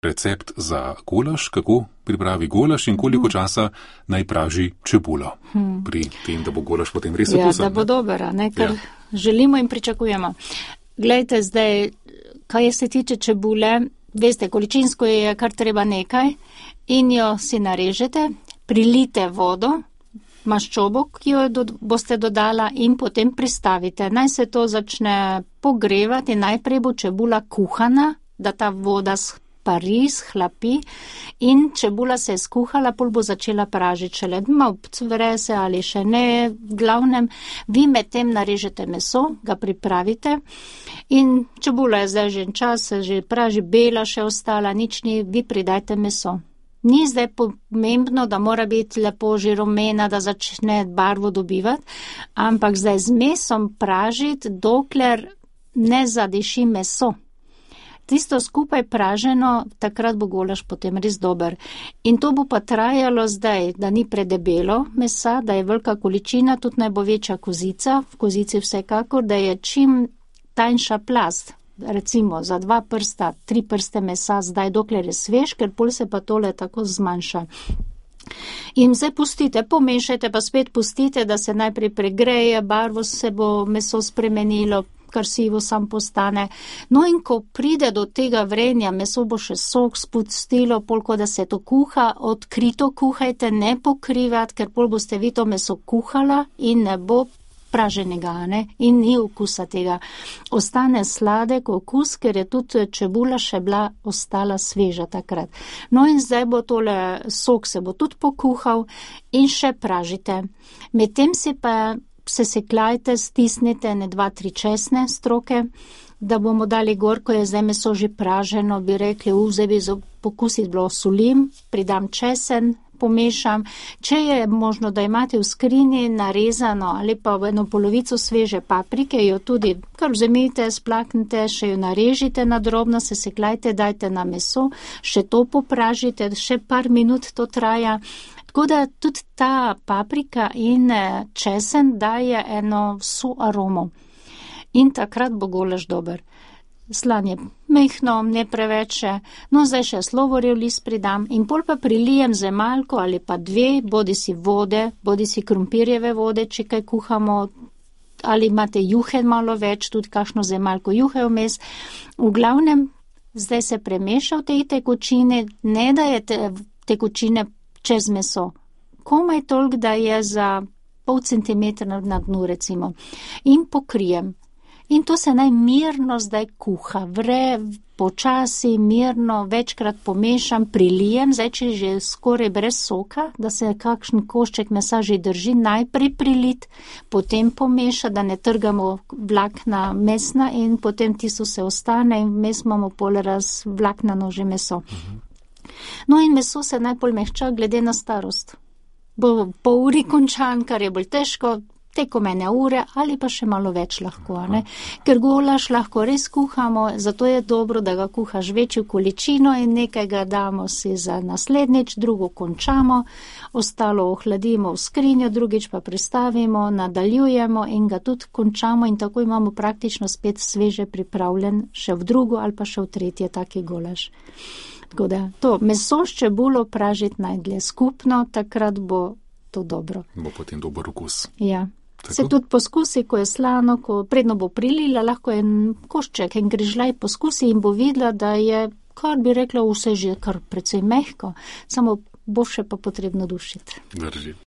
recept za golaž, kako pripravi golaž in koliko časa naj praži čebulo pri tem, da bo golaž potem res okusen. Ja, da bo dober, kar želimo in pričakujemo. Glejte, zdaj, kaj se tiče čebule, veste, količinsko je kar treba nekaj in jo si narežete, prilite vodo, maščobo, ki jo boste dodala in potem pristavite. Naj se to začne pogrevati, najprej bo čebula kuhana, da ta voda spari, hlapi in čebula se je skuhala, pol bo začela pražiti šele. Malo cvre se ali še ne, v glavnem, vi med tem narežete meso, ga pripravite in čebula je zdaj že čas, se že praži, bela še ostala, nič ni, vi pridajte meso. Ni zdaj pomembno, da mora biti lepo že rumena, da začne barvo dobivati, ampak zdaj z mesom pražiti, dokler ne zadiši meso. Tisto skupaj praženo, takrat bo golaž potem res dober. In to bo pa trajalo zdaj, da ni predebelo mesa, da je velika količina, tudi naj bo večja kozica, v kozici vsekakor, da je čim tanjša plast. Recimo za 2 prsta, 3 prste mesa zdaj, dokler je svež, ker pol se pa tole tako zmanjša. In zdaj pustite, pomešajte, pa spet pustite, da se najprej pregreje, barvo se bo meso spremenilo, kar sivo sam postane. No in ko pride do tega vrenja, meso bo še sok spustilo, polko da se to kuha, odkrito kuhajte, ne pokrivati, ker pol boste vi to meso kuhala in ne bo praženega, in ni okusa tega. Ostane sladek okus, ker je tudi čebula še bila ostala sveža takrat. No in zdaj bo tole sok se bo tudi pokuhal in še pražite. Medtem si pa sesekljajte, stisnite 2-3 česne stroke, da bomo dali gor, ko je zdaj meso že praženo, bi rekli, zdaj bi za pokusit bilo solim, pridam česen, pomešam. Če je možno, da imate v skrini narezano ali pa v eno polovico sveže paprike, jo tudi kar vzemite, splaknite, še jo narežite na drobno, sesekljajte, dajte na meso, še to popražite, še par minut to traja. Tako da tudi ta paprika in česen daje eno vso aromo. In takrat bo golaž dober. Slan je mehno, ne preveče, no zdaj še slovorjev list pridam in pol pa prilijem zemalko ali pa 2, bodi si vode, bodi si krompirjeve vode, če kaj kuhamo, ali imate juhe malo več, tudi kakšno zemalko juhe vmes. V glavnem, zdaj se premeša v tej tekočini, ne da je tekočine čez meso. Komaj toliko, da je za pol centimetra na dnu, recimo. In pokrijem. In to se naj mirno zdaj kuha, vre, počasi, mirno, večkrat pomešam, prilijem, zdaj če že skoraj brez soka, da se kakšen košček mesa že drži, najprej prilit, potem pomeša, da ne trgamo vlakna mesna in potem tisto se ostane in vmes imamo pol vlaknano že meso. No in meso se najbolj mehča glede na starost. Bo po uri končan, kar je bolj težko, tekom 1 ure ali pa še malo več lahko, Ker golaž lahko res kuhamo, zato je dobro, da ga kuhaš večjo količino in nekaj ga damo si za naslednjič, drugo končamo, ostalo ohladimo v skrinjo, drugič pa pristavimo, nadaljujemo in ga tudi končamo in tako imamo praktično spet sveže pripravljen še v drugo ali pa še v tretje taki golaž. Tako da to meso s čebulo pražiti najdlje skupno, takrat bo to dobro. Bo potem dober okus. Ja. Tako? Se tudi poskusi, ko je slano, ko predno bo prilila, lahko en košček, en grižljaj poskusi in bo videla, da je, kar bi rekla, vse že kar precej mehko, samo bo še pa potrebno dušiti. Drži.